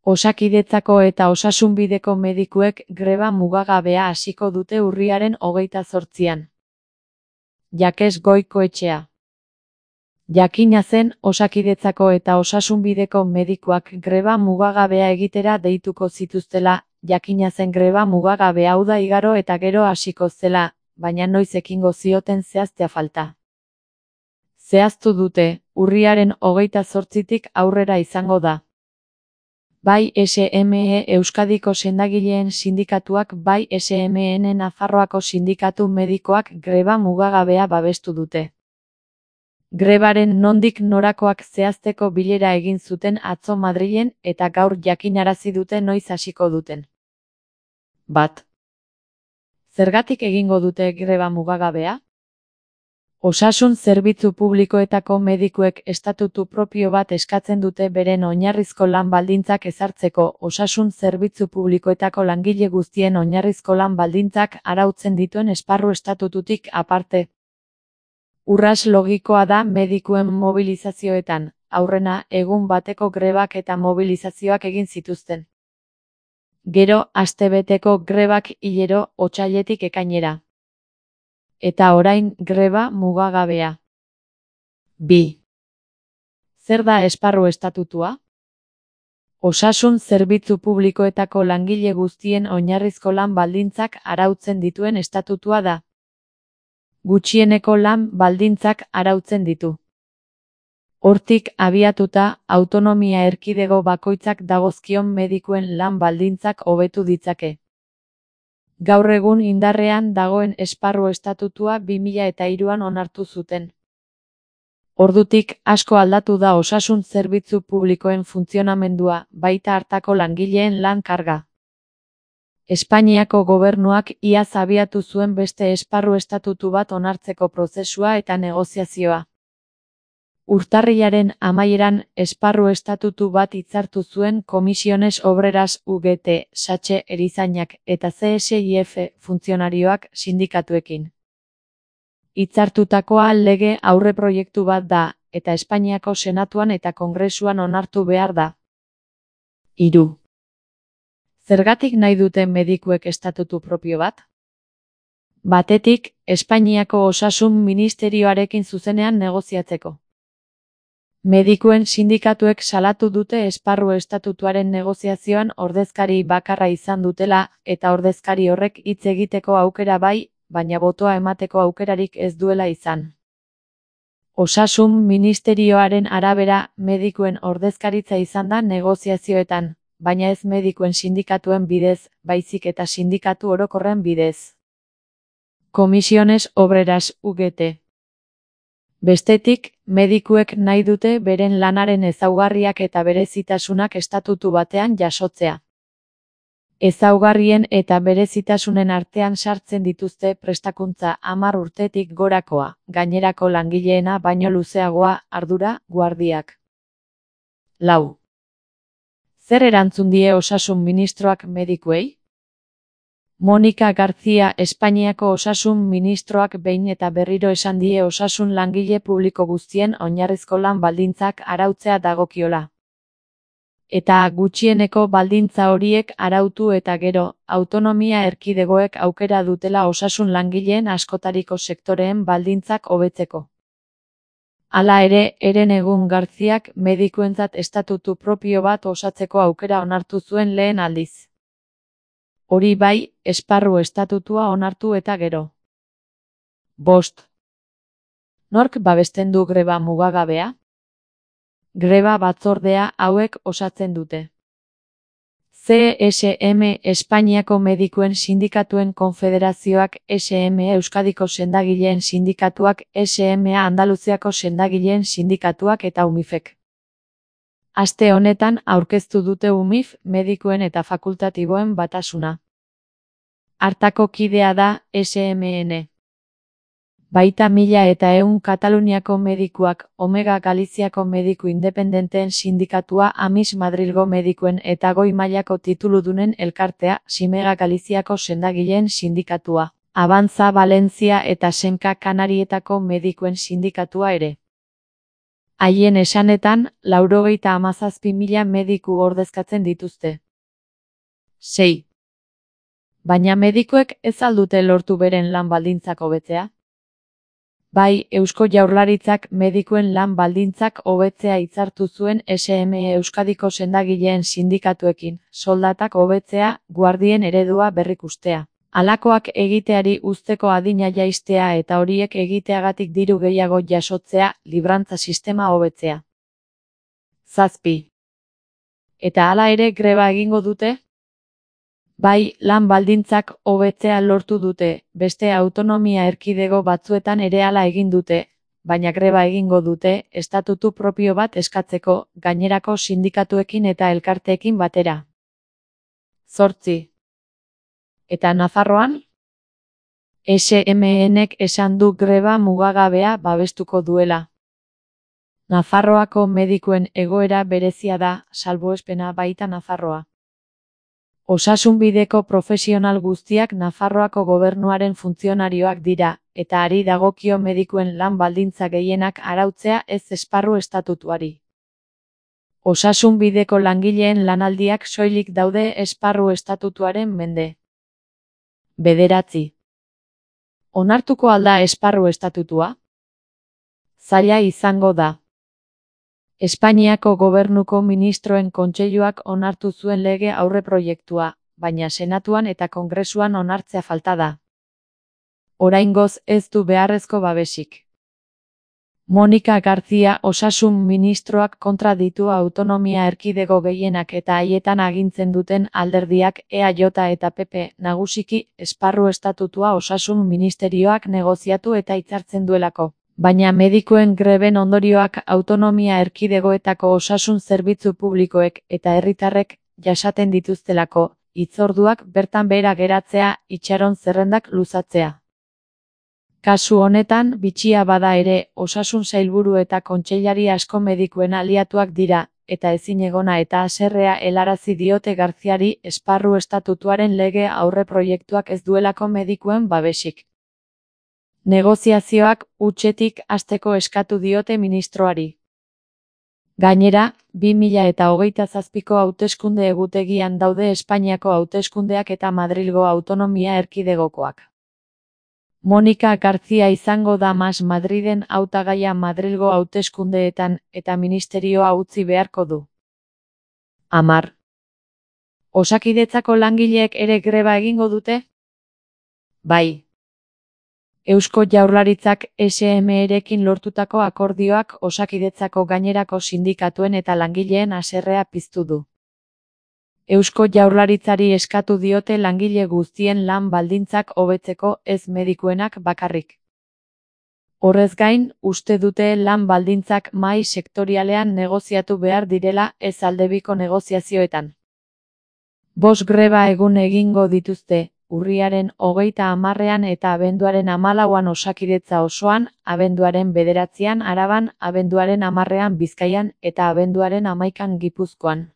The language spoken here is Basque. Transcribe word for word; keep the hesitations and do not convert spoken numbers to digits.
Osakidetzako eta osasunbideko medikuek greba mugagabea hasiko dute urriaren hogeita zortzian. Jakes Goikoetxea. Jakina zen, Osakidetzako eta osasunbideko medikuak greba mugagabea egitera deituko zituztela, jakina zen greba mugagabea hau da igaro eta gero hasiko zela, baina noiz ekingo zioten zehaztea falta. Zehaztu dute, urriaren hogeita zortzitik aurrera izango da. Bai S M E Euskadiko sendagileen sindikatuak bai S M E N Nafarroako sindikatu medikoak greba mugagabea babestu dute. Grebaren nondik norakoak zehazteko bilera egin zuten atzo Madrilen eta gaur jakinarazi dute noiz hasiko duten. Bat. Zergatik egingo dute greba mugagabea? Osasun zerbitzu publikoetako medikuek estatutu propio bat eskatzen dute beren oinarrizko lan baldintzak ezartzeko. Osasun zerbitzu publikoetako langile guztien oinarrizko lan baldintzak arautzen dituen esparru estatututik aparte. Urras logikoa da medikuen mobilizazioetan, aurrena egun bateko grebak eta mobilizazioak egin zituzten. Gero, astebeteko grebak hilero, otsailetik ekainera. Eta orain greba mugagabea. Bi. Zer da esparru estatutua? Osasun zerbitzu publikoetako langile guztien oinarrizko lan baldintzak arautzen dituen estatutua da. Gutxieneko lan baldintzak arautzen ditu. Hortik abiatuta, autonomia erkidego bakoitzak dagozkion medikuen lan baldintzak hobetu ditzake. Gaur egun indarrean dagoen esparru estatutua bi mila eta hiruan onartu zuten. Ordutik asko aldatu da osasun zerbitzu publikoen funtzionamendua, baita hartako langileen lan karga. Espainiako gobernuak iaz abiatu zuen beste esparru estatutu bat onartzeko prozesua eta negoziazioa. Urtarrilaren amaieran esparru estatutu bat hitzartu zuen Comisiones Obreras U G T, Satxe erizainak eta C S I F funtzionarioak sindikatuekin. Hitzartutakoa lege aurreproiektu bat da, eta Espainiako Senatuan eta Kongresuan onartu behar da. Hiru. Zergatik nahi duten medikuek estatutu propio bat? Batetik, Espainiako Osasun Ministerioarekin zuzenean negoziatzeko. Medikuen sindikatuek salatu dute esparru estatutuaren negoziazioan ordezkari bakarra izan dutela, eta ordezkari horrek hitz egiteko aukera bai, baina botoa emateko aukerarik ez duela izan. Osasun Ministerioaren arabera, medikuen ordezkaritza izan da negoziazioetan, baina ez medikuen sindikatuen bidez, baizik eta sindikatu orokorren bidez. Comisiones Obreras U G T. Bestetik, medikuek nahi dute beren lanaren ezaugarriak eta berezitasunak estatutu batean jasotzea. Ezaugarrien eta berezitasunen artean sartzen dituzte prestakuntza hamar urtetik gorakoa, gainerako langileena baino luzeagoa, ardura, guardiak. Lau. Zer erantzun die osasun ministroak medikuei? Monika García Espainiako osasun ministroak behin eta berriro esan die osasun langile publiko guztien oinarrizko lan baldintzak arautzea dagokiola. Eta gutxieneko baldintza horiek arautu eta gero, autonomia erkidegoek aukera dutela osasun langileen askotariko sektoreen baldintzak hobetzeko. Hala ere, Herenegun Garziak medikuentzat estatutu propio bat osatzeko aukera onartu zuen lehen aldiz. Hori bai, esparru estatutua onartu eta gero. Bost. Nork babesten du greba mugagabea? Greba batzordea hauek osatzen dute. C S M Espainiako medikuen sindikatuen konfederazioak, S M E Euskadiko sendagileen sindikatuak, S M A Andaluziako sendagileen sindikatuak eta UMIFek. Aste honetan aurkeztu dute UMIF medikuen eta fakultatiboen batasuna. Hartako kidea da S M E N. Baita mila eta ehun Kataluniako medikuak, Omega Galiziako mediku independenteen sindikatua, Amis Madrilgo medikuen eta goi mailako tituludunen elkartea, Simega Galiziako sendagileen sindikatua, Avanza Valencia eta Senka Kanarietako medikuen sindikatua ere. Haien esanetan, laurogeita hamazazpi mila mediku ordezkatzen dituzte. sei. Baina medikuek ez al dute lortu beren lan baldintzak hobetzea? Bai, Eusko Jaurlaritzak medikuen lan baldintzak hobetzea hitzartu zuen S M E Euskadiko sendagileen sindikatuekin, soldatak hobetzea, guardien eredua berrikustea. Halakoak egiteari uzteko adina jaistea eta horiek egiteagatik diru gehiago jasotzea, librantza sistema hobetzea. zazpi. Eta hala ere greba egingo dute? Bai, lan baldintzak hobetzea lortu dute, beste autonomia erkidego batzuetan ere hala egin dute, baina greba egingo dute, estatutu propio bat eskatzeko, gainerako sindikatuekin eta elkarteekin batera. zortzi. Eta Nafarroan? S M Ek esan du greba mugagabea babestuko duela. Nafarroako medikuen egoera berezia da, salbuespena baita Nafarroa. Osasunbideko profesional guztiak Nafarroako gobernuaren funtzionarioak dira, eta ari dagokio medikuen lan baldintza gehienak arautzea ez esparru estatutuari. Osasunbideko langileen lanaldiak soilik daude esparru estatutuaren mende. bederatzi. Onartuko alda esparru estatutua? Zaila izango da. Espainiako gobernuko ministroen kontseiluak onartu zuen lege aurreproiektua, baina senatuan eta kongresuan onartzea falta da. Oraingoz ez du beharrezko babesik. Monika García osasun ministroak kontra ditu autonomia erkidego gehienak eta haietan agintzen duten alderdiak E A J eta P P nagusiki esparru estatutua osasun ministerioak negoziatu eta hitzartzen duelako. Baina medikuen greben ondorioak autonomia erkidegoetako osasun zerbitzu publikoek eta herritarrek jasaten dituztelako, hitzorduak bertan behera geratzea, itxaron zerrendak luzatzea. Kasu honetan, bitxia bada ere, osasun sailburu eta kontseilari asko medikuen aliatuak dira, eta ezinegona eta haserrea helarazi diote Garziari esparru estatutuaren lege aurreproiektuak ez duelako medikuen babesik. Negoziazioak hutsetik hasteko eskatu diote ministroari. Gainera, bi mila eta hogeita zazpiko hauteskunde egutegian daude Espainiako hauteskundeak eta Madrilgo autonomia erkidegokoak. Monika García izango da Mas Madriden hautagaia Madrilgo hauteskundeetan eta ministerioa utzi beharko du. hamar. Osakidetzako langileek ere greba egingo dute? Bai. Eusko Jaurlaritzak S M Erekin lortutako akordioak Osakidetzako gainerako sindikatuen eta langileen haserrea piztu du. Eusko Jaurlaritzari eskatu diote langile guztien lan baldintzak hobetzeko ez medikuenak bakarrik. Horrez gain, uste dute lan baldintzak mahai sektorialean negoziatu behar direla ez aldebiko negoziazioetan. Bost greba egun egingo dituzte, urriaren hogeita hamarrean eta abenduaren hamalauan Osakidetza osoan, abenduaren bederatzian Araban, abenduaren hamarrean Bizkaian eta abenduaren hamaikan Gipuzkoan.